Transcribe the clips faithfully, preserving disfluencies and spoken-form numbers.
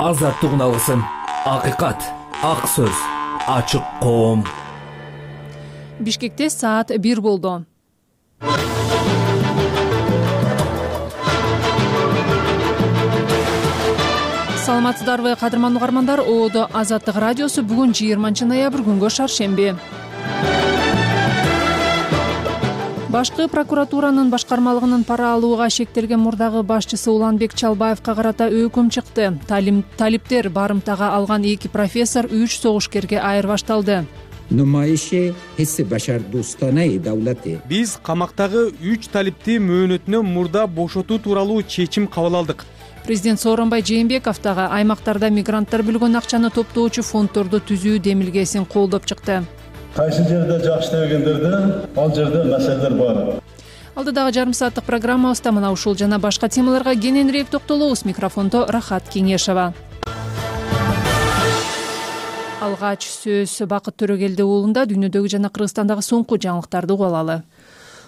азаттык уналгысın, акыйкат, ак сөз, ачык коом. Бишкекте саат бир болду. Саламатсыздарбы, кадырман угармандар. Оодо Азаттык радиосу бүгүн жыйырманчы ноябрь күнгө шаршемби. Башкы прокуратуранын башкармалыгынын пара алууга шектелген мурдагы башчысы Уланбек Чалбаевка карата өкүм чыкты. Талиптер барымтага алган эки профессор үч согушкерге айырбашталды. Биз камактагы үч талипти мөөнөтүнөн мурда бошотуу тууралуу чечим кабыл алдык. Президент Сооронбай Жээнбеков дагы аймактарда мигранттар бөлгөн акчаны топтоочу фонддорду түзүү демилгесин колдоп чыкты. Кайсы жерде жакшы дегендерде, ал жерде маселелер бар. Алдыдагы жарым сааттык программабызда мына ушул жана башка темаларга кененирээк токтолобуз. Микрофондо Рахат Кеңешова. Алгач сөз Бакыт Төрөгелди уулунда дүйнөдөгү жана Кыргызстандагы соңку жаңылыктарды угуп алалы.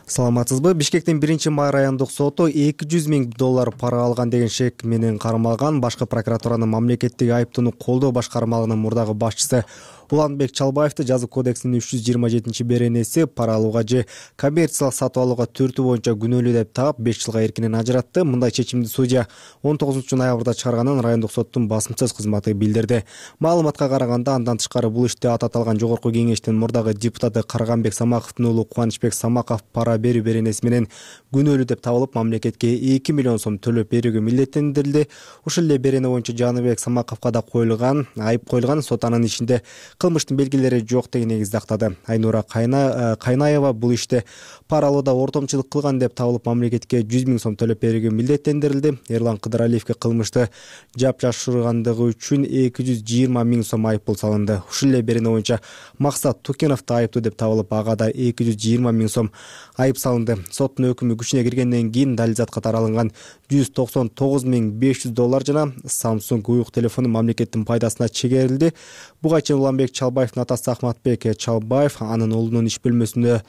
Саламатсызбы? Бишкектин биринчи май райондук соту эки жүз миң доллар пара алган деген шек менен кармалган башкы прокуратуранын мамлекеттик айыптоону колдоо башкармалыгынын мурдагы башчысы Уланбек Чалбаевди жазык кодексинин үч жүз жыйырма жетинчи беренеси пара алууга же коммерциялык сатып алууга түртүү боюнча күнөөлүү деп таап беш жылга эркинен ажыратты. Мындай чечимди судья он тогузунчу ноябрда чыгарганын райондук соттун басымсыз кызматы билдирди. Маалыматка караганда, андан тышкары бул иште аты аталган жогорку кеңештин мурдагы депутаты Карганбек Самаковдун уулу Кубанычбек Самаков пара берүү беренеси менен күнөөлүү деп табылып, мамлекетке эки миллион сом төлөп берүүгө милдеттендирилди. Ушул эле берене боюнча Жаныбек Самаковго да коюлган айып коюлган. Сот анын ишинде кылмыштын белгилери жок деген негизде актады. Айнура Кайнаева бул иште пара алууда ортомчулук кылган деп табылып, мамлекетке жүз миң сом төлөп берүүгө милдеттендирилди. Эрлан Кыдыралиевге кылмышты жапжашыргандыгы үчүн эки жүз жыйырма миң сом айып пул салынды. Ушул эле берене боюнча Максат Тукенов да айыптуу деп табылып, ага да эки жүз жыйырма миң сом айып салынды. Соттун өкүмү күчүнө киргенден кийин далилзат катары алынган жүз токсон тогуз миң беш жүз доллар жана Samsung уюк телефону мамлекеттин пайдасына чегерилди. Буга чейин Уланбек Чалбаевдин атасы Ахматбек Чалбаев анын уулунун иш бөлмөсүндө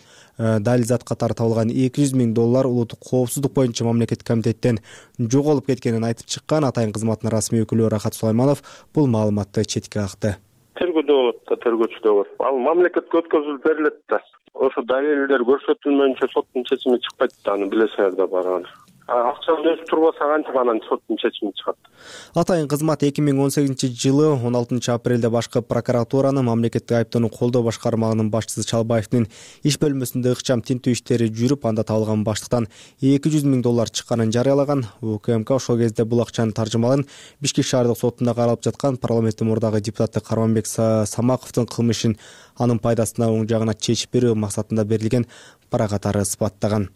далилзат катары табылган эки жүз миң доллар улуттук коопсуздук боюнча мамлекеттик комитеттен жоголуп кеткенин айтып чыккан. Атайын кызматтын расмий өкүлү Рахат Сулайманов бул маалыматты четке какты. Тергөөдө болот да, тергөөчүдө бар. Ал мамлекетке өткөзүлүп берилет да. Ошо далилдер көрсөтүлмөйүнчө соттун чечими чыкпайт да, аны билесиңер да бар. Акчаны өзү турбаса кантип анан соттун чечими чыгат. Атайын кызмат эки миң он сегизинчи жылы он алтынчы апрелде башкы прокуратуранын мамлекеттик айыптоону колдоо башкармалыгынын башчысы Чалбаевдин иш бөлмөсүндө ыкчам тинтүү иштери жүрүп, анда табылган баштыктан эки жүз миң доллар чыкканын жарыялаган. УКМК ошол кезде бул акчанын таржымалын Бишкек шаардык сотунда каралып жаткан парламенттин мурдагы депутаты Карганбек Самаковдун кылмышын анын пайдасына оң жагына чечип берүү максатында берилген пара катары ысбаттаган.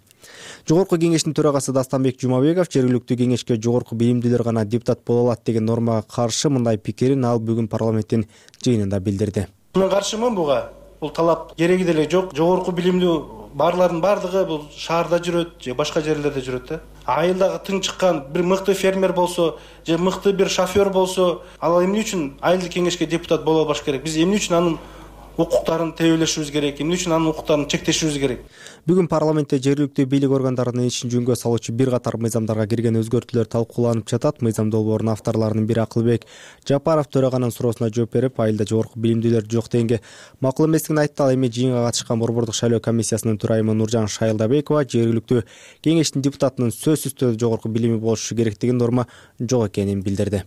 Жогорку кеңештин төрагасы Дастанбек Жумабеков жергиликтүү кеңешке жогорку билимдүүлөр гана депутат боло алат деген нормага каршы мындай пикирин ал бүгүн парламенттин жыйынында билдирди. Мен каршымын буга. Бул талап кереги деле жок. Жогорку билимдүү барлардын бардыгы бул шаарда жүрөт же башка жерлерде жүрөт да. Айылдагы тың чыккан бир мыкты фермер болсо же мыкты бир шофер болсо, ал эмне үчүн айылдык кеңешке депутат боло албаш керек? Биз эмне үчүн анын укуктарын тебелешибиз керек, эмне үчүн анын укуктарын чектешибиз керек? Бүгүн парламентте жергиликтүү бийлик органдарынын ишин жөнгө салуучу бир катар мыйзамдарга кирген өзгөртүүлөр талкууланып жатат. Мыйзам долбоорунун авторлорунун бири Акылбек Жапаров төраганын суроосуна жооп берип, айылда жогорку билимдүүлөр жок дегенге макул эместигин айтты. Ал эми жыйынга катышкан Борбордук шайлоо комиссиясынын төрайымы Нуржан Шайылдабекова жергиликтүү кеңештин депутатынын сөзсүз түрдө жогорку билими болушу керек деген норма жок экенин билдирди.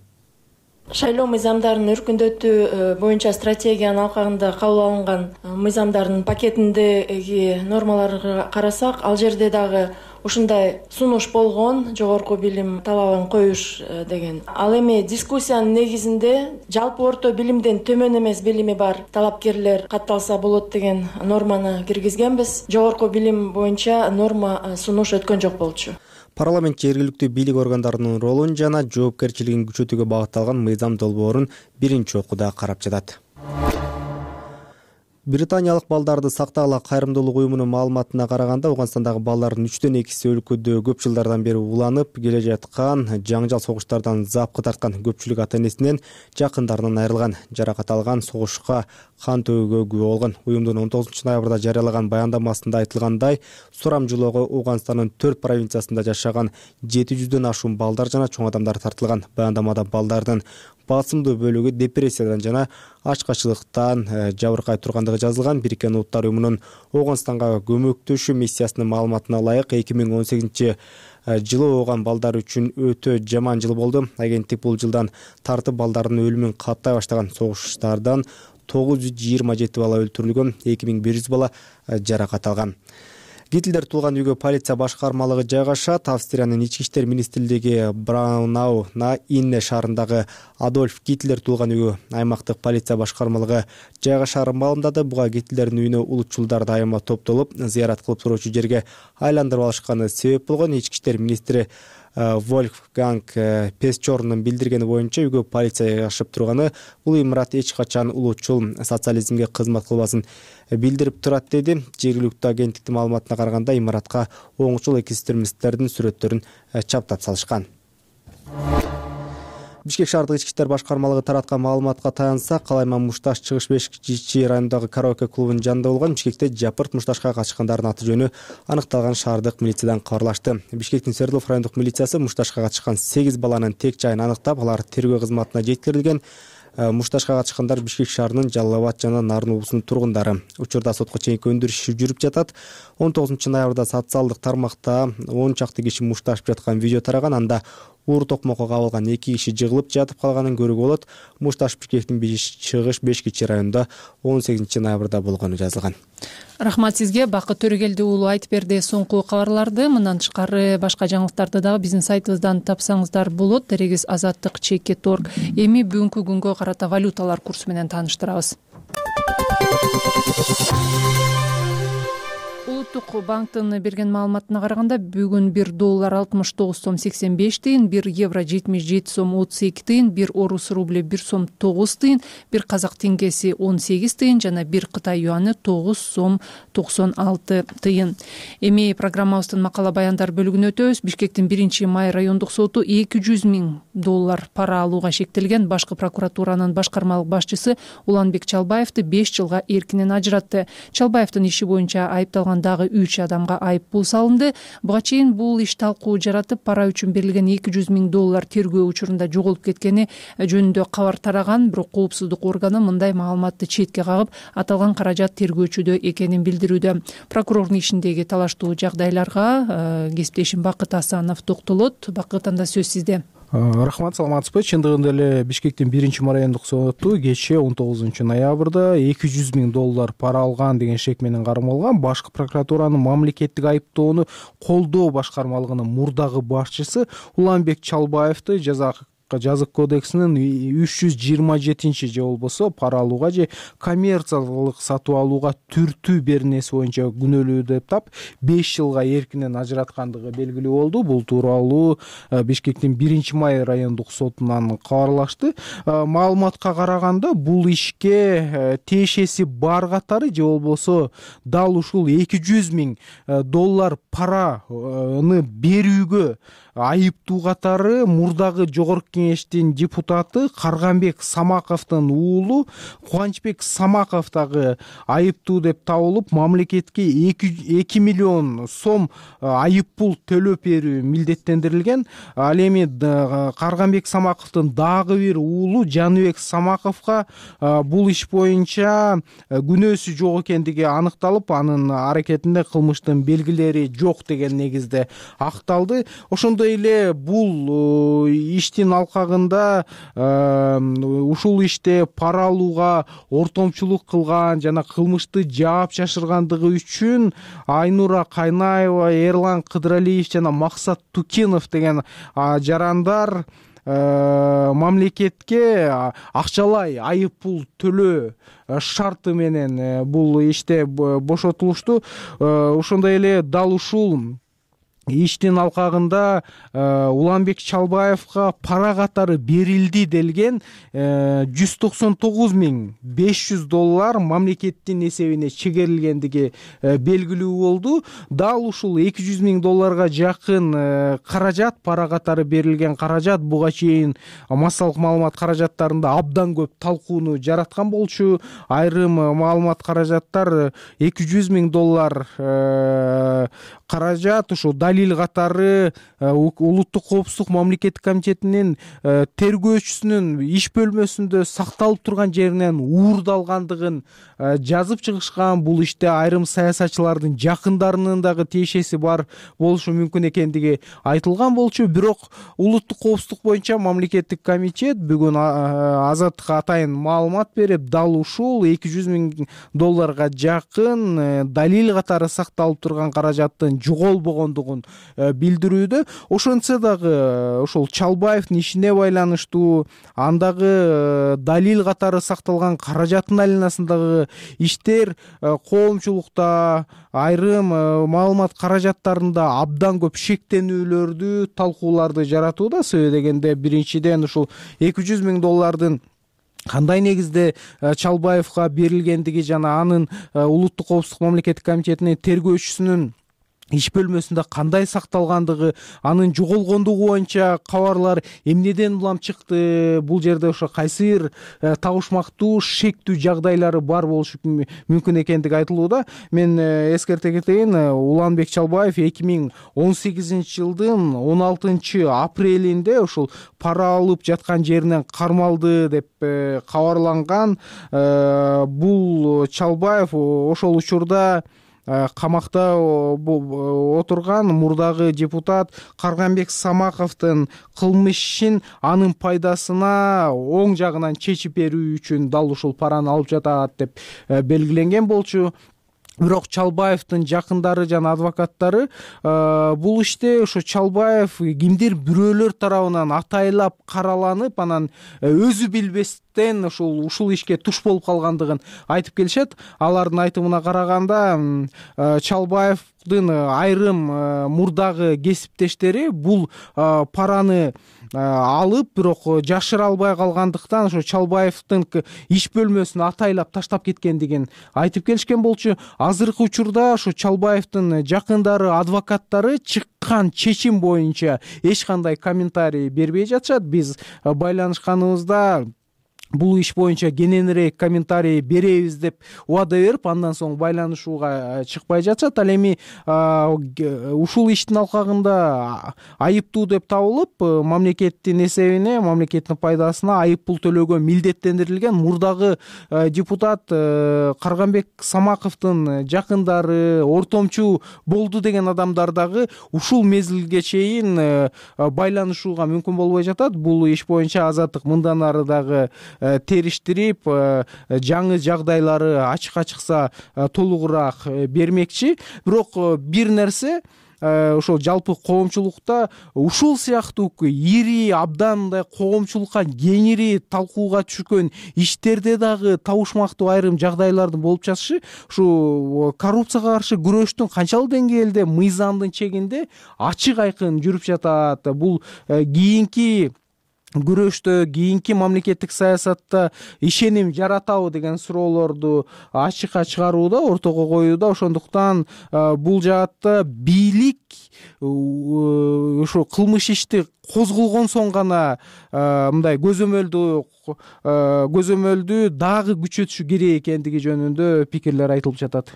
Шайлоо мыйзамдарынын өркүндөтүү боюнча стратегиянын алкагында кабыл алынган мыйзамдардын пакетиндеги нормаларга карасак, ал жерде дагы ушундай сунуш болгон, жогорку билим талабын коюш деген. Ал эми дискуссиянын негизинде жалпы орто билимден төмөн эмес билими бар талапкерлер катталса болот деген норманы киргизгенбиз. Жогорку билим боюнча норма сунуш өткөн жок болчу. Парламент жергиликтүү бийлик органдарынын ролун жана жоопкерчилигин күчөтүүгө багытталган мыйзам долбоорун биринчи окууда карап жатат. Британиялык балдарды сактагыла кайрымдуулук уюмунун маалыматына караганда Ауганстандагы балдардын үчтөн экиси өлкөдө көп жылдардан бери уланып келе жаткан жаңжал согуштардан запкы тарткан. Көпчүлүк ата энесинен, жакындарынан айрылган, жаракат алган, согушка кан төгүүгө күбө болгон. Уюмдун он тогузунчу ноябрда жарыялаган баяндамасында айтылгандай, сурамжылоого Ауганстандын төрт провинциясында жашаган жети жүздөн ашуун балдар жана чоң адамдар тартылган. Баяндамада балдардын басымдуу бөлүгү депрессиядан жана ачкачылыктан жабыркай тургандыгы жазылган. Бириккен Улуттар уюмунун Ауганстанга көмөктөшүү миссиясынын маалыматына ылайык эки миң он сегизинчи жылы ооған балдар үчүн өтө жаман жыл болду. Агенттик бул жылдан тартып балдардын өлүмүн каттай баштаган. Согуштардан тогуз жүз жыйырма жети бала өлтүрүлгөн, эки миң бир жүз бала жаракат алган. Гитлер туулган үйгө полиция башкармалыгы жайгашат. Австриянын ички иштер министрлиги Браунау на Инне шаарындагы Адольф Гитлер туулган үйгө аймактык полиция башкармалыгы жайгашаарын маалымдады. Буга Гитлердин үйүнө улутчулдар дайыма топтолуп, зыярат кылып туруучу жерге айландырып алышканы себеп болгон. Ички иштер министри Вольфганг Песчорнун билдиргени боюнча үйгө полиция жайгашып турганы бул имарат эч качан улутчул социализмге кызмат кылбасын билдирип турат, деди. Жергиликтүү агенттиктин маалыматына караганда имаратка оңчул экстремисттердин сүрөттөрүн чаптап салышкан. Бишкек шаардык ички иштер башкармалыгы тараткан маалыматка таянсак, Калайман Мушташ чыгыш бешинчи райондогу караоке клубунун жанында болгон. Бишкекте жапырт Мушташка катышкандардын аты жөнү аныкталган шаардык милициядан кабарлашты. Бишкектин Свердлов райондук милициясы Мушташка катышкан сегиз баланын тек жайын аныктап, алар тергөө кызматына жеткирилген. Мушташка катышкандар Бишкек шаарынын Жалал Абад жана Нарын облусунун тургундары. Учурда сотко чейинки өндүрүш иши жүрүп жатат. он тогузунчу ноябрда социалдык тармакта он чакты киши мушташып жаткан видео тараган. Анда уур токмокко кабылган эки киши жыгылып жатып калганын көрүүгө болот. Мушташ Бишкектин чыгыш беш кичи районунда он сегизинчи ноябрда болгону жазылган. Рахмат сизге, Бакыт Төрөгелди уулу айтып берди соңку кабарларды. Мындан тышкары башка жаңылыктарды дагы биздин сайтыбыздан тапсаңыздар болот. Дерегиз азаттык чекит точка орг. Эми бүгүнкү күнгө карата валюталар курсу менен тааныштырабыз. Улуттук банктын берген маалыматына караганда бүгүн бир доллар алтымыш тогуз сом сексен беш тыйын, бир евро жетимиш жети сом отуз эки тыйын, бир орус рубль бир сом тогуз тыйын, бир казак теңгеси он сегиз тыйын жана бир кытай юаны тогуз сом токсон алты тыйын. Эми программабыздын макала баяндар бөлүгүнө өтөбүз. Бишкектин биринчи май райондук соту эки жүз миң доллар пара алууга шектелген башкы прокуратуранын башкармалык башчысы Уланбек Чалбаевди беш жылга эркинен ажыратты. Чалбаевдин иши боюнча айыпталган дагы үч адамга айып пул салынды. Буга чейин бул иш талкуу жаратып, пара үчүн берилген эки жүз миң доллар тергөө учурунда жоголуп кеткени жөнүндө кабар тараган, бирок коопсуздук органы мындай маалыматты четке кагып, аталган каражат тергөөчүдө экенин билдирүүдө. Прокурордун ишиндеги талаштуу жагдайларга кесиптешим Бакыт Асанов токтолот. Бакыт, анда сөз сизде. Рахмат, саламатсызбы? Чындыгында эле Бишкектин биринчи райондук соту кечээ он тогузунчу ноябрда эки жүз миң доллар пара алган деген шек менен кармалган башкы прокуратуранын мамлекеттик айыптоону колдоо башкармалыгынын мурдагы башчысы Уланбек Чалбаевди жаза жазык кодексинин үч жүз жыйырма жетинчи же болбосо пара алууга же коммерциялык сатып алууга түртүү беренеси боюнча күнөөлүү деп тап беш жылга эркинен ажыраткандыгы белгилүү болду. Бул тууралуу Бишкектин биринчи май райондук сотунан кабарлашты. Маалыматка караганда бул ишке тиешеси бар катары же болбосо дал ушул эки жүз миң доллар параны берүүгө айыптуу катары мурдагы жогорку кеңештин депутаты Карганбек Самаковдун уулу Кубанычбек Самаков дагы айыптуу деп табылып, мамлекетке эки миллион сом айып пул төлөп берүү милдеттендирилген. Ал эми Карганбек Самаковдун дагы бир уулу Жаныбек Самаковго бул иш боюнча күнөөсү жок экендиги аныкталып, анын аракетинде кылмыштын белгилери жок деген негизде акталды. Ошондой эле бул иштин алкагында ушул иште пара алууга ортомчулук кылган жана кылмышты жаап жашыргандыгы үчүн Айнура Кайнаева, Эрлан Кыдыралиев жана Максат Тукинов деген жарандар мамлекетке акчалай айып пул төлөө шарты менен бул иште бошотулушту. Ошондой эле дал ушул иштин алкагында Уланбек Чалбаевга пара катары берилди делген жүз токсон тогуз миң беш жүз доллар мамлекеттин эсебине чегерилгендиги белгилүү болду. Дал ушул эки жүз миң долларга жакын каражат, пара катары берилген каражат буга чейин массалык маалымат каражаттарында абдан көп талкууну жараткан болчу. Айрым маалымат каражаттар эки жүз миң доллар каражат ошо далил катары улуттук коопсуздук мамлекеттик комитетинин тергөөчүсүнүн иш бөлмөсүндө сакталып турган жеринен уурдалгандыгын жазып чыгышкан. Бул иште айрым саясатчылардын жакындарынын дагы тиешеси бар болушу мүмкүн экендиги айтылган болчу. Бирок улуттук коопсуздук боюнча мамлекеттик комитет бүгүн Азаттыкка атайын маалымат берип, дал ушул эки жүз миң долларга жакын далил катары сакталып турган каражаттын жоголбогондугун билдирүүдө. Ошентсе дагы ошол Чалбаевдин ишине байланыштуу андагы далил катары сакталган каражаттын айланасындагы иштер коомчулукта, айрым маалымат каражаттарында абдан көп шектенүүлөрдү, талкууларды жаратууда. Себеби дегенде биринчиден ушул эки жүз миң доллардын кандай негизде Чалбаевга берилгендиги жана анын улуттук коопсуздук мамлекеттик комитетинин тергөөчүсүнүн иш бөлмөсүндө кандай сакталгандыгы, анын жоголгондугу боюнча кабарлар эмнеден улам чыкты, бул жерде ошо кайсы бир табышмактуу, шектүү жагдайлары бар болушу мүмкүн экендиги айтылууда. Мен эскерте кетейин, Уланбек Чалбаев эки миң он сегизинчи жылдын он алтынчы апрелинде ошол пара алып жаткан жеринен кармалды деп кабарланган. Бул Чалбаев ошол учурда камакта отурган мурдагы депутат Карганбек Самаковдун кылмыш ишин анын пайдасына оң жагынан чечип берүү үчүн дал ушул параны алып жатат деп белгиленген болчу. Бирок Чалбаевдин жакындары жана адвокаттары бул иште ошо Чалбаев кимдир бирөөлөр тарабынан атайлап караланып, анан өзү билбестен ушул ушул ишке туш болуп калгандыгын айтып келишет. Алардын айтымына караганда Чалбаевдин айрым мурдагы кесиптештери бул параны алып, бирок жашыра албай калгандыктан ошо Чалбаевдин иш бөлмөсүн атайлап таштап кеткендигин айтып келишкен болчу. Азыркы учурда ошо Чалбаевдин жакындары, адвокаттары чыккан чечим боюнча эч кандай комментарий бербей жатышат. Биз байланышканыбызда бул иш боюнча кененирээк комментарий беребиз деп убада берип, андан соң байланышууга чыкпай жатышат. Ал эми ушул иштин алкагында айыптуу деп табылып, мамлекеттин эсебине, мамлекеттин пайдасына айып пул төлөөгө милдеттендирилген мурдагы депутат Карганбек Самаковдун жакындары, ортомчу болду деген адамдар дагы ушул мезгилге чейин байланышууга мүмкүн болбой жатат. Бул иш боюнча Азаттык мындан ары дагы териштирип, жаңы жагдайлары ачыкка чыкса толугураак бермекчи. Бирок бир нерсе, ошол жалпы коомчулукта ушул сыяктуу ири, абдан мындай коомчулукка кеңири талкууга түшкөн иштерде дагы табышмактуу айрым жагдайлардын болуп жатышы ушу коррупцияга каршы күрөштүн канчалык деңгээлде мыйзамдын чегинде ачык айкын жүрүп жатат. Бул кийинки күрөштө, кийинки мамлекеттик саясатта ишеним жаратабы деген суроолорду ачыкка чыгарууда, ортого коюуда. Ошондуктан бул жаатта бийлик ошо кылмыш ишти козголгон соң гана мындай көзөмөлдү көзөмөлдү дагы күчөтүшү керек экендиги жөнүндө пикирлер айтылып жатат.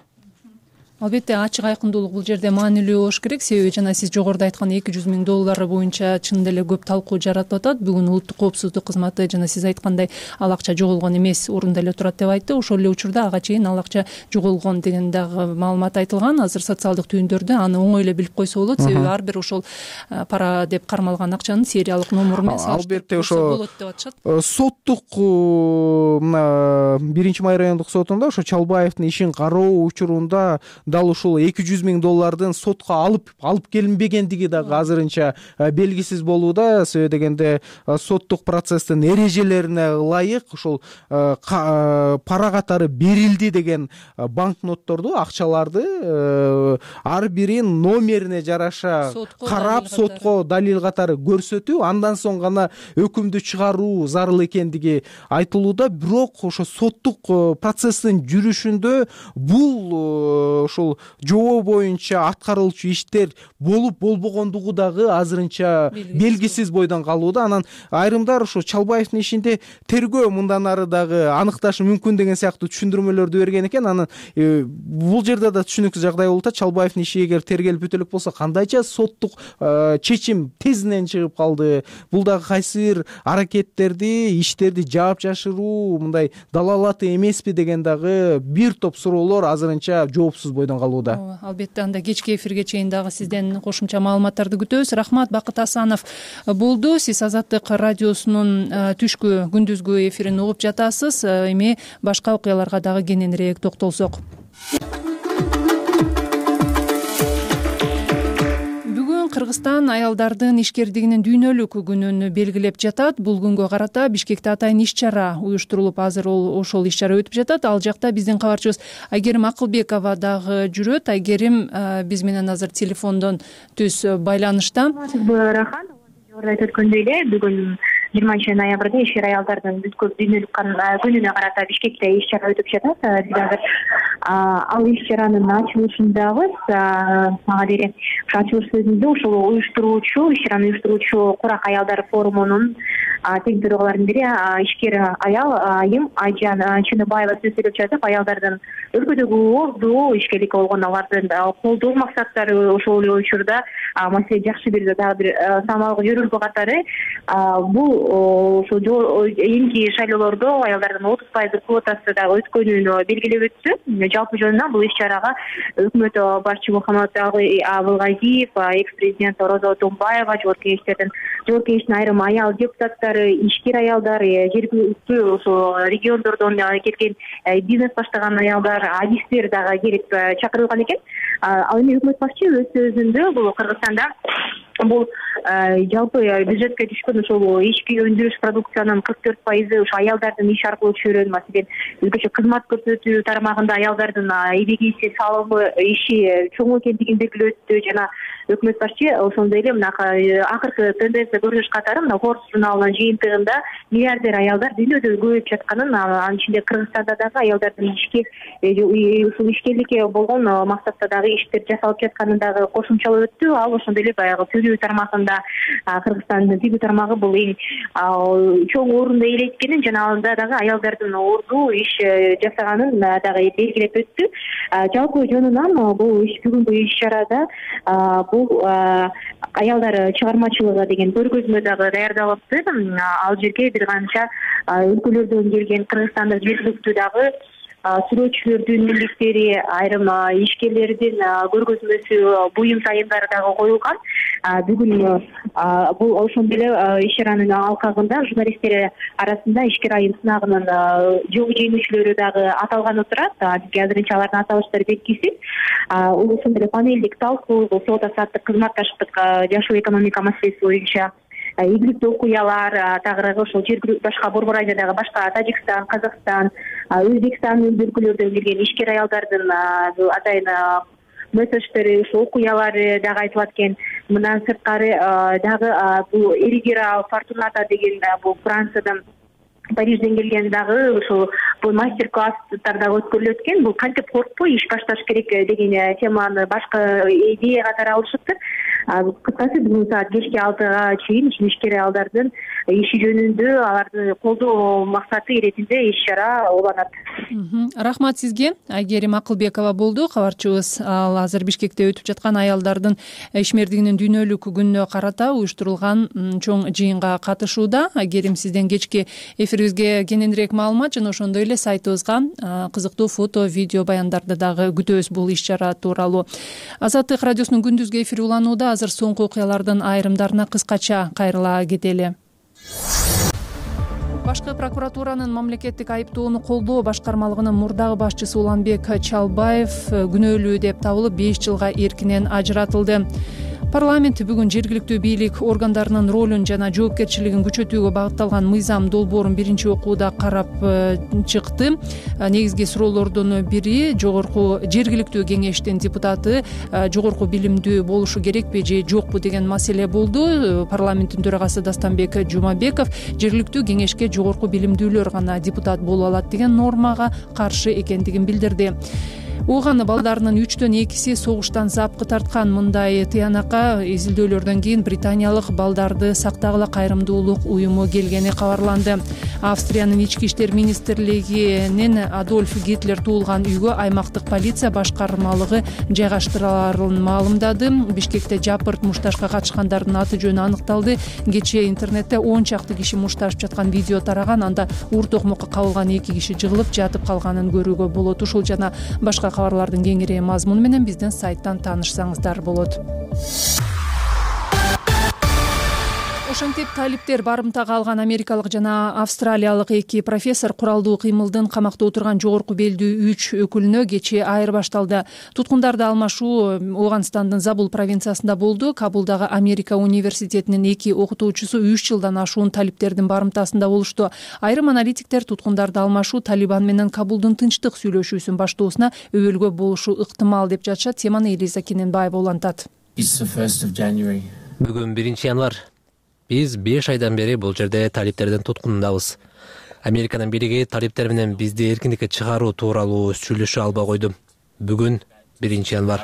Албетте ачык айкындуулук бул жерде маанилүү болуш керек. Себеби жана сиз жогоруда айткан эки жүз миң доллары боюнча чын деле көп талкуу жаратып атат. Бүгүн улуттук коопсуздук кызматы жана сиз айткандай ал акча жоголгон эмес, орунда эле турат деп айтты. Ошол эле учурда ага чейин ал акча жоголгон деген дагы маалымат айтылган. Азыр социалдык түйүндөрдө аны оңой эле билип койсо болот. Себеби ар бир ошол пара деп кармалган акчанын сериялык номуру менен албетте ошо соттук мына биринчи май райондук сотунда ошо Чалбаевдин ишин кароо учурунда дал ушул эки жүз миң доллардын сотко алып алып келинбегендиги дагы азырынча белгисиз болууда. Себеби дегенде соттук процесстин эрежелерине ылайык ушул пара катары берилди деген банкнотторду, акчаларды ар бирин номерине жараша карап сотко далил катары көрсөтүп, андан соң гана өкүмдү чыгаруу зарыл экендиги айтылууда. Бирок ошо соттук процесстин жүрүшүндө бул ушул жобо боюнча аткарылчу иштер болуп болбогондугу дагы азырынча белгисиз бойдон калууда. Анан айрымдар ушул Чалбаевдин ишинде тергөө мындан ары дагы аныкташы мүмкүн деген сыяктуу түшүндүрмөлөрдү берген экен. Анан бул жерде да түшүнүксүз жагдай болуп атат. Чалбаевдин иши эгер тергелип бүтө элек болсо кандайча соттук чечим тезинен чыгып калды? Бул дагы кайсы бир аракеттерди, иштерди жаап жашыруу мындай далалаты эмеспи деген дагы бир топ суроолор азырынча жоопсуз бойдон калууда. Албетте, анда кечки эфирге чейин дагы сизден кошумча маалыматтарды күтөбүз. Рахмат, Бакыт Асанов болду. Сиз Азаттык радиосунун түшкү күндүзгү эфирин угуп жатасыз. Эми башка окуяларга дагы кененирээк токтолсок. Кыргызстан аялдардын ишкердигинин дүйнөлүк күнүн белгилеп жатат. Бул күнгө карата Бишкекте атайын иш-чара уюштурулуп, азыр ошол иш-чара өтүп жатат. Ал жакта биздин кабарчыбыз Айгерим Акылбекова дагы жүрөт. Айгерим биз менен азыр телефондон түз байланышта. Рахмат. Жогоруда өткөндөй эле бүгүн жыйырманчы ноябрда ишкер аялдардын дүйнөлүк күнүнө карата Бишкекте иш-чара өтүп жатат. Биз азыр ал иш-чаранын ачылышындабыз. Мага дере ачылыш сөзүндө ушул уюштуруучу, иш-чараны уюштуруучу Курак аялдар форумунун тең төрагаларынын бири ишкер аял Айым Айжан Чыныбаева сөз сүйлөп жатып, аялдардын өлкөдөгү ордуу ишкерликке болгон алардын колдоо максаттары ошол эле учурда маселе жакшы бир дагы бир самалгы жөрөлгө катары бул ошол эми шайлоолордо аялдардын отуз пайыздык квотасы дагы өткөнүн белгилеп өттү. Жалпы жөнүнөн бул иш-чарага өкмөт башчы Мухаммад Абылгазиев, экс-президент Роза Отунбаева, жогорку кеңештердин жогорку кеңештин айрым аял депутаттары, ишкер аялдар, жергиликтүү ошо региондордон келген бизнес баштаган аялдар, адистер дагы келип чакырылган экен. Ал эми өкмөт башчы өз сөзүндө бул Кыргызстанда бул жалпы бюджетке түшкөн ошол ички өндүрүш продукциянын кырк төрт пайызы ошо аялдардын иш аркылуу чөйрөн. Маселен, өзгөчө кызмат көрсөтүү тармагында аялдардын эбегейси салымы иши чоң экендигин белгилеп өттү. Жана өкмөт башчы ошондой эле мына акыркы тенденция көрүнүш катары мына Forbes журналынын жыйынтыгында миллиардер аялдар дүйнөдө көбөйүп жатканын, анын ичинде Кыргызстанда дагы аялдардын ишке ушул ишкерликке болгон максатта дагы иштер жасалып жатканын дагы кошумчалап өттү. Ал ошондой эле баягы тигүү тармагында Кыргызстандын тигүү тармагы бул эң чоң орунду ээлейткенин жана анда дагы аялдардын ордуу иш жасаганын дагы белгилеп өттү. Жалпы жөнүнөн бул иш бүгүнкү иш-чарада бул аялдар чыгармачылыгы деген көргөзмө дагы даярдалыпты. Ал жерге бир канча өлкөлөрдөн келген кыргызстандык жергиликтүү дагы сүрөтчүлөрдүн милдеттери, айрым ишкерлердин көргөзмөсү, буюм тайымдары дагы коюлган. Бүгүн бул ошондой эле иш-чаранын алкагында журналисттер арасында ишкер айым сынагынын жол жеңүүчүлөрү дагы аталганы турат. Бизге азырынча алардын аталыштары белгисиз. Ошондой эле панелдик талкуу, сот азаттык, кызматташтык, жашоо экономика маселеси боюнча ийгиликтүү окуялар, тагыраагы ошол жергиликтүү башка Борбор Азиядагы башка Тажикстан, Казакстан, Өзбекстан өлкөлөрдөн келген ишкер аялдардын атайын месседждери, ошол окуялары дагы айтылат экен. Мындан сырткары дагы бул Эригера Фортуната деген бул Франциядан Парижден келген дагы ушул бул мастер-класстар дагы өткөрүлөт экен. Бул кантип коркпой иш башташ керек деген теманы башка идея катары алышыптыр. Кыскасы бүгүн саат кечки алтыга чейин ишкер аялдардын иши жөнүндө аларды колдоо максаты иретинде иш-чара уланат. Рахмат сизге. Айгерим Акылбекова болду кабарчыбыз. Ал азыр Бишкекте өтүп жаткан аялдардын ишмердигинин дүйнөлүк күнүнө карата уюштурулган чоң жыйынга катышууда. Айгерим, сизден кечки эфирибизге кененирээк маалымат жана ошондой эле сайтыбызга кызыктуу фото, видео баяндарды дагы күтөбүз бул иш-чара тууралуу. Азаттык радиосунун күндүзгү эфири уланууда. Азыр соңку окуялардын айрымдарына кыскача кайрыла кетели. Башкы прокуратуранын мамлекеттик айыптоону колдоо башкармалыгынын мурдагы башчысы Уланбек Чалбаев күнөөлүү деп табылып беш жылга эркинен ажыратылды. Парламент бүгүн жергиликтүү бийлик органдарынын ролун жана жоопкерчилигин күчөтүүгө багытталган мыйзам долбоорун биринчи окууда карап чыкты. Негизги суроолордун бири жогорку жергиликтүү кеңештин депутаты жогорку билимдүү болушу керекпи же жокпу деген маселе болду. Парламенттин төрагасы Дастанбек Жумабеков жергиликтүү кеңешке жогорку билимдүүлөр гана депутат боло алат деген нормага каршы экендигин билдирди. Ууган балдарынын үчтөн экиси согуштан запкы тарткан. Мындай тыянакка изилдөөлөрдөн кийин британиялык балдарды сактагыла кайрымдуулук уюму келгени кабарланды. Австриянын ички иштер министрлигинин Адольф Гитлер туулган үйгө аймактык полиция башкармалыгы жайгаштырыларын маалымдады. Бишкекте жапырт мушташка катышкандардын аты жөнү аныкталды. Кечээ интернетте он чакты киши мушташып жаткан видео тараган. Анда уур токмокко кабылган эки киши жыгылып жатып калганын көрүүгө болот. Ушул жана башка кабарлардын кеңири мазмуну менен биздин сайттан таанышсаңыздар болот. Ошентип талиптер барымтага алган америкалык жана австралиялык эки профессор куралдуу кыймылдын камакта отурган жогорку белдүү үч өкүлүнө кечээ айырбашталды. Туткундарды алмашуу Ооганстандын Забул провинциясында болду. Кабулдагы Америка университетинин эки окутуучусу үч жылдан ашуун талиптердин барымтасында болушту. Айрым аналитиктер туткундарды алмашуу Талибан менен Кабулдун тынчтык сүйлөшүүсүн баштоосуна өбөлгө болушу ыктымал деп жатышат. Теманы Элиза Кененбаева улантат. Бүгүн биринчи январ. Биз беш айдан бери бул жерде талиптердин туткунундабыз. Американын бийлиги талиптер менен бизди эркиндикке чыгаруу тууралуу сүйлөшө албай койду. Бүгүн биринчи январ.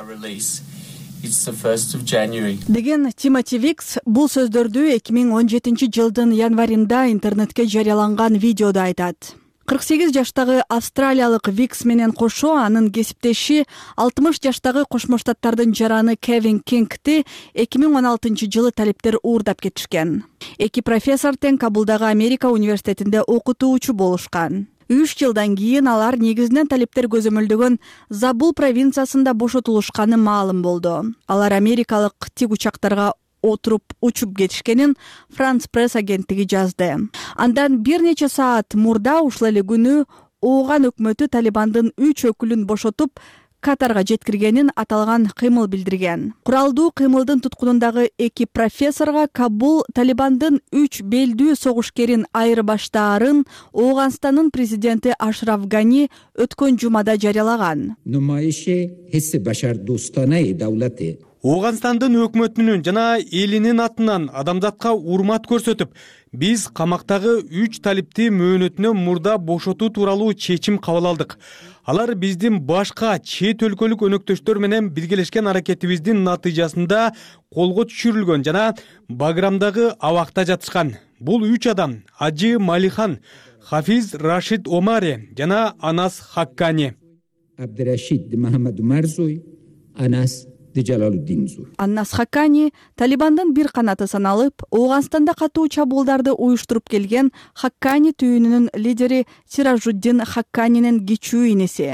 Деген Тимоти Викс бул сөздөрдү эки миң он жетинчи жылдын январында интернетке жарыяланган видеодо айтат. кырк сегиз жаштагы австралиялык Викс менен кошо анын кесиптеши алтымыш жаштагы Кошмо Штаттардын жараны Кевин Кингти эки миң он алтынчы жылы талиптер уурдап кетишкен. Эки профессор тең Кабулдагы Америка университетинде окутуучу болушкан. үч жылдан кийин алар негизинен талиптер көзөмөлдөгөн Забул провинциясында бошотулушканы маалым болду. Алар америкалык тик учактарга отуруп учуп кетишкенин Франс пресс агенттиги жазды. Андан бир нече саат мурда ушул эле күнү Ооган өкмөтү Талибандын үч өкүлүн бошотуп Катарга жеткиргенин аталган кыймыл билдирген. Куралдуу кыймылдын туткунундагы эки профессорго Кабул Талибандын үч белдүү согушкерин айырбаштаарын Ооганстандын президенти Ашраф Гани өткөн жумада жарыялаган. Ооганстандын өкмөтүнүн жана элинин атынан адамзатка урмат көрсөтүп, биз камактагы үч талипти мөөнөтүнөн мурда бошотуу тууралуу чечим кабыл алдык. Алар биздин башка чет өлкөлүк өнөктөштөр менен биргелешкен аракетибиздин натыйжасында колго түшүрүлгөн жана Баграмдагы абакта жатышкан. Бул үч адам Ажы Малихан, Хафиз Рашид Омари жана Анас Хаккани. Абдурашид Мухаммад Марзуй, Анас Аннас Хаккани Талибандын бир канаты саналып, Ооганстанда катуу чабуулдарды уюштуруп келген Хаккани түйүнүнүн лидери Сиражуддин Хакканинин кичүү инеси.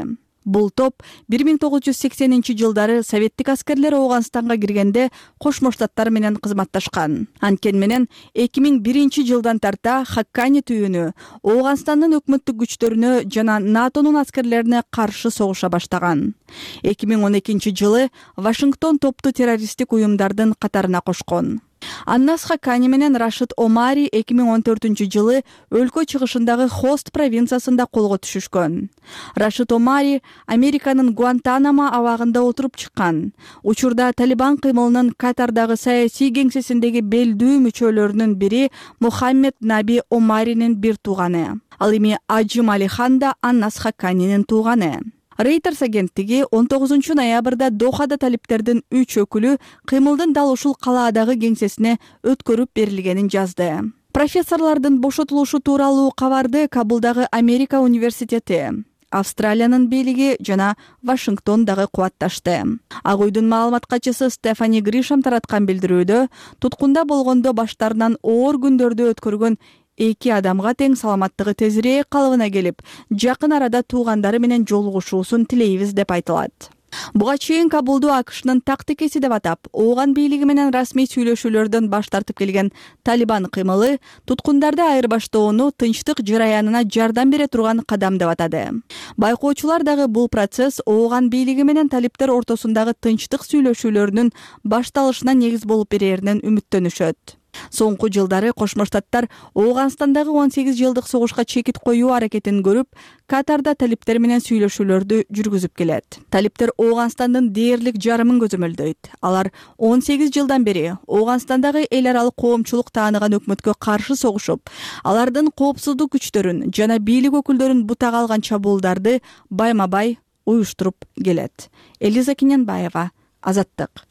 Бул топ бир миң тогуз жүз сексенинчи жылдары советтик аскерлер Ооганстанга киргенде Кошмо Штаттар менен кызматташкан. Анткени менен эки миң биринчи жылдан тарта Хаккани түйүнү Ооганстандын өкмөттүк күчтөрүнө жана НАТОнун аскерлерине каршы согуша баштаган. эки миң он экинчи жылы Вашингтон топту террористтик уюмдардын катарына кошкон. Аннас Хаккани менен Рашид Омари эки миң он төртүнчү жылы өлкө чыгышындагы Хост провинциясында колго түшүшкөн. Рашид Омари Американын Гуантанамо абагында отуруп чыккан. Учурда Талибан кыймылынын Катардагы саясий кеңсесиндеги белдүү мүчөлөрүнүн бири Мухаммед Наби Омаринин бир тууганы. Ал эми Ажы Малихан да Аннас Хакканинин тууганы. Reuters агенттиги он тогузунчу ноябрда Дохада талиптердин үч өкүлү кыймылдын дал ушул калаадагы кеңсесине өткөрүп берилгенин жазды. Профессорлордун бошотулушу тууралуу кабарды Кабулдагы Америка университети, Австралиянын бийлиги жана Вашингтон дагы кубатташты. Ак үйдүн маалымат катчысы Стефани Гришам тараткан билдирүүдө туткунда болгондо баштарынан оор күндөрдү өткөргөн эки адамга тең саламаттыгы тезирээк калыбына келип, жакын арада туугандары менен жолугушуусун тилейбиз деп айтылат. Буга чейин Кабулду АКШнын так текеси деп атап, Ооган бийлиги менен расмий сүйлөшүүлөрдөн баш тартып келген Талибан кыймылы туткундарды айырбаштоону тынчтык жараянына жардам бере турган кадам деп атады. Байкоочулар дагы бул процесс Ооган бийлиги менен талиптер ортосундагы тынчтык сүйлөшүүлөрүнүн башталышына негиз болуп береринен үмүттөнүшөт. Соңку жылдары Кошмо Штаттар Ооганстандагы он сегиз жылдык согушка чекит коюу аракетин көрүп, Катарда талиптер менен сүйлөшүүлөрдү жүргүзүп келет. Талиптер Ооганстандын дээрлик жарымын көзөмөлдөйт. Алар он сегиз жылдан бери Ооганстандагы эл аралык коомчулук тааныган өкмөткө каршы согушуп, алардын коопсуздук күчтөрүн жана бийлик өкүлдөрүн бутага алган чабуулдарды байма-бай уюштуруп келет. Элиза Кинянбаева, Азаттык.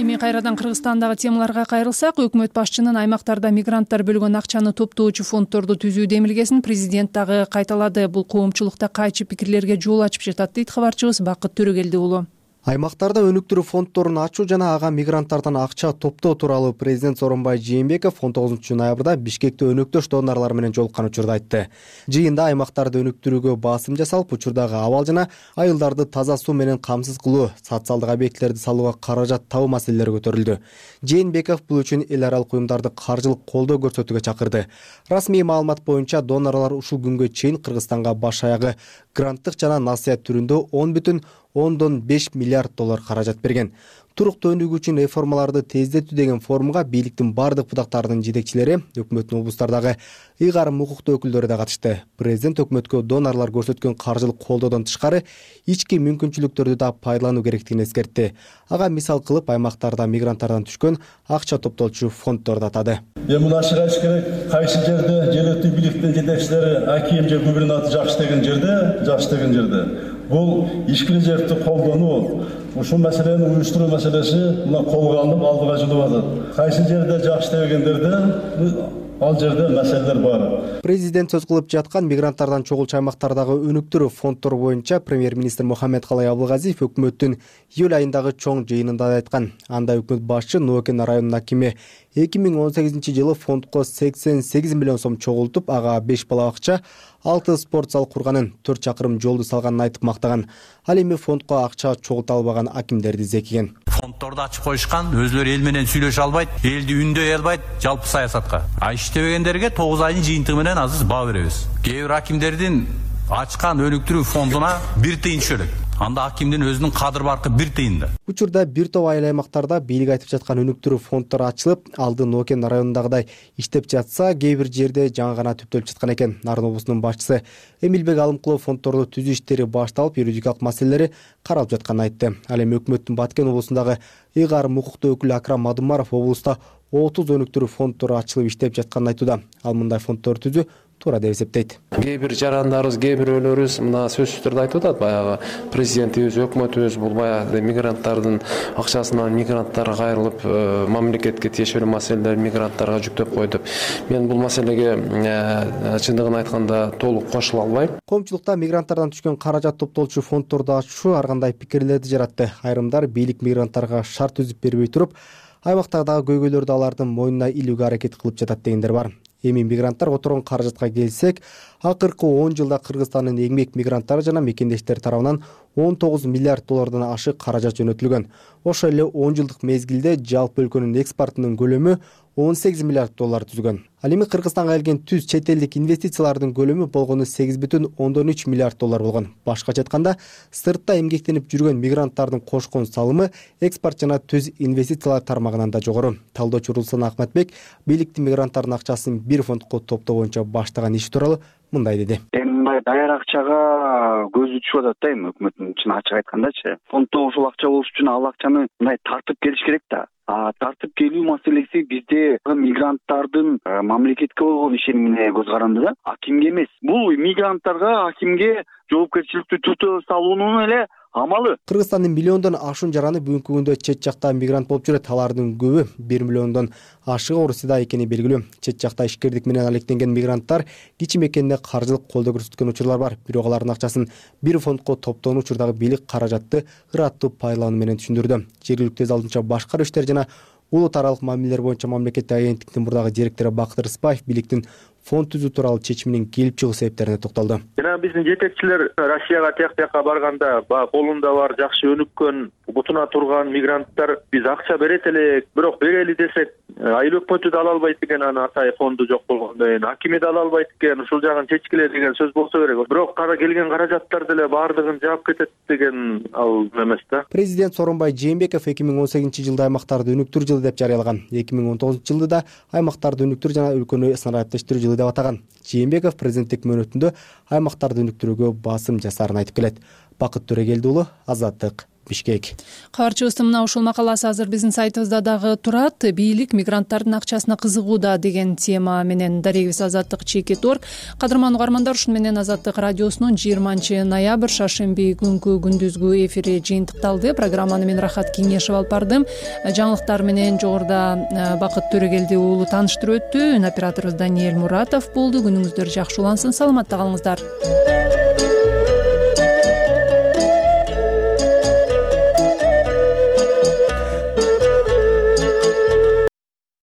Эми кайрадан Кыргызстандагы темаларга кайрылсак, өкмөт башчынын аймактарда мигранттар бөлгөн акчаны топтоочу фонддорду түзүү демилгесин президент дагы кайталады. Бул коомчулукта кайчы пикирлерге жол ачып жатат дейт кабарчыбыз Бакыт Төрөгелди уулу. Аймактарда өнүктүрүү фонддорун ачуу жана ага мигранттардан акча топтоо тууралуу президент Сооронбай Жээнбеков он тогузунчу ноябрда Бишкекте өнөктөш донорлор менен жолуккан учурда айтты. Жыйында аймактарды өнүктүрүүгө басым жасалып, учурдагы абал жана айылдарды таза суу менен камсыз кылуу, социалдык объектилерди салууга каражат табуу маселелери көтөрүлдү. Жээнбеков бул үчүн эл аралык уюмдарды каржылык колдоо көрсөтүүгө чакырды. Расмий маалымат боюнча донорлор ушул күнгө чейин Кыргызстанга баш аягы гранттык жана насыят түрүндө он бүтүн ондон беш миллиард доллар каражат берген. Туруктуу өнүгүү үчүн реформаларды тездетүү деген форумга бийликтин бардык будактарынын жетекчилери, өкмөттүн облустардагы ыйгарым укуктуу өкүлдөрү да катышты. Президент өкмөткө донорлор көрсөткөн каржылык колдоодон тышкары ички мүмкүнчүлүктөрдү да пайдалануу керектигин эскертти. Ага мисал кылып аймактарда мигранттардан түшкөн акча топтолчу фонддорду атады. Эми муну ачык айтыш керек, кайсы жерде жергиликтүү бийликтин жетекчилери аким же губернатор жакшы деген жерде, жакшы деген жерде бул ички резервди колдонуу, ушул маселени уюштуруу маселеси мына колго алынып алдыга жылып атат. Кайсы жерде жакшы дегендерде ал жерде маселелер бар. Президент сөз кылып жаткан мигранттардан чогулчу аймактардагы өнүктүрүү фонддору боюнча премьер-министр Мухаммедкалай Абылгазиев өкмөттүн июль айындагы чоң жыйынында айткан. Анда өкмөт башчы Ноокен районунун акими эки миң он сегизинчи жылы фондко сексен сегиз миллион сом чогултуп, ага беш бала бакча, алты спорт зал курганын, төрт чакырым жолду салганын айтып мактаган. Ал эми фондко акча чогулта албаган акимдерди зекиген. Фонддорду ачып коюшкан, өзлөрү эл менен сүйлөшө албайт, элди үндөй албайт жалпы саясатка. А иштебегендерге тогуз айдын жыйынтыгы менен азыр баа беребиз. Кээ бир акимдердин ачкан өнүктүрүү фондуна бир тыйын түшөлөт. Анда акимдин өзүнүн кадыр баркы бир тыйында. Учурда бир топ айыл аймактарда бийлик айтып жаткан өнүктүрүү фонддору ачылып, алды Ноокен районундагыдай иштеп жатса, кээ бир жерде жаңы гана түптөлүп жаткан экен. Нарын облусунун башчысы Эмилбек Алымкулов фонддорду түзүү иштери башталып, юридикалык маселелери каралып жатканын айтты. Ал эми өкмөттүн Баткен облусундагы ыйгарым укуктуу өкүлү Акрам Мадумаров облуста отуз өнүктүрүү фонддору ачылып иштеп жатканын айтууда. Ал мындай фонддорду түзүү туура деп эсептейт. Кээ бир жарандарыбыз, кээ бирөөлөрүбүз мына сөзсүз түрдө айтып атат, баягы президентибиз, өкмөтүбүз бул баягы мигранттардын акчасынан мигранттарга кайрылып, мамлекетке тиешелүү маселелер мигранттарга жүктөп койду деп. Мен бул маселеге чындыгын айтканда толук кошула албайм. Коомчулукта мигранттардан түшкөн каражат топтолчу фонддорду ачуу ар кандай пикирлерди жаратты. Айрымдар бийлик мигранттарга шарт түзүп бербей туруп, аймактардагы көйгөйлөрдү алардын мойнуна илүүгө аракет кылып жатат дегендер бар. Эми мигранттар которгон каражатка келсек, акыркы он жылда Кыргызстандын эмгек мигранттары жана мекендештери тарабынан он тогуз миллиард доллардан ашык каражат жөнөтүлгөн. Ошол эле он жылдык мезгилде жалпы өлкөнүн экспортунун көлөмү он сегиз миллиард доллар түзгөн. Ал эми Кыргызстанга келген түз чет элдик инвестициялардын көлөмү болгону сегиз бүтүн ондон үч миллиард доллар болгон. Башкача айтканда, сыртта эмгектенип жүргөн мигранттардын кошкон салымы экспорт жана түз инвестициялар тармагынан да жогору. Талдоочу Руслан Ахматбек бийликтин мигранттардын акчасын бир фондко топтоо боюнча баштаган иши тууралуу мындай деди. Мындай даяр акчага көзү түшүп атат да, эми өкмөттүн чын ачык айткандачы. Фонддо ушул акча болуш үчүн ал акчаны мындай тартып келиш керек да. А тартып келүү маселеси бизде мигранттардын мамлекетке болгон ишенимине көз каранды да, акимге эмес. Бул мигранттарга, акимге жоопкерчиликтүү түрдө салуунун эле амалы. Кыргызстандын миллиондон ашуун жараны бүгүнкү күндө чет жакта мигрант болуп жүрөт. Алардын көбү бир миллиондон ашыгы Орусияда экени белгилүү. Чет жакта ишкердик менен алектенген мигранттар кичи мекенде каржылык колдоо көрсөткөн учурлар бар. Бирок алардын акчасын бир фондко топтоон учурдагы бийлик каражатты ыраттуу пайдалануу менен түшүндүрдү. Жергиликтүү өз алдынча башкаруу иштери жана улут аралык мамилелер боюнча мамлекеттик агенттиктин мурдагы директору Бакыт Рыспаев бийликтин фонд түзүү тууралуу чечиминин келип чыгуу себептерине токтолду. Жана биздин жетекчилер Россияга тияк бияка барганда баягы колунда бар жакшы өнүккөн бутуна турган мигранттар биз акча берет элек, бирок берели десек айыл өкмөтү да ала албайт экен, аны атайын фонду жок болгондон кийин акиме да ала албайт экен, ушул жагын чечкиле деген сөз болсо керек. Бирок кара келген каражаттар деле баардыгын жаап кетет деген ал эмес да. Президент Сооронбай Жээнбеков эки миң он сегизинчи жылды аймактарды өнүктүрүү жылы деп жарыялаган. эки миң он тогузунчу жылды да аймактарды өнүктүрүү жана өлкөнү снарядтештирүү жылы деп атаган. Жээнбеков президенттик мөөнөтүндө аймактарды өнүктүрүүгө басым жасаарын айтып келет. Бакыт Төрөгелди уулу, Азаттык, Бишкек. Кабарчыбыздын мына ушул макаласы азыр биздин сайтыбызда дагы турат. Бийлик мигранттардын акчасына кызыгууда деген тема менен дарегибиз Азаттык чекит орг. Кадырман угармандар, ушун менен Азаттык радиосунун жыйырманчы ноябрь шаршемби күнкү күндүзгү эфири жыйынтыкталды. Программаны мен Рахат Кеңешев алып бардым. Жаңылыктар менен жогоруда Бакыт Төрөгелди уулу тааныштырып өттү. Операторубуз Даниэль Муратов болду. Күнүңүздөр жакшы улансын, саламатта калыңыздар.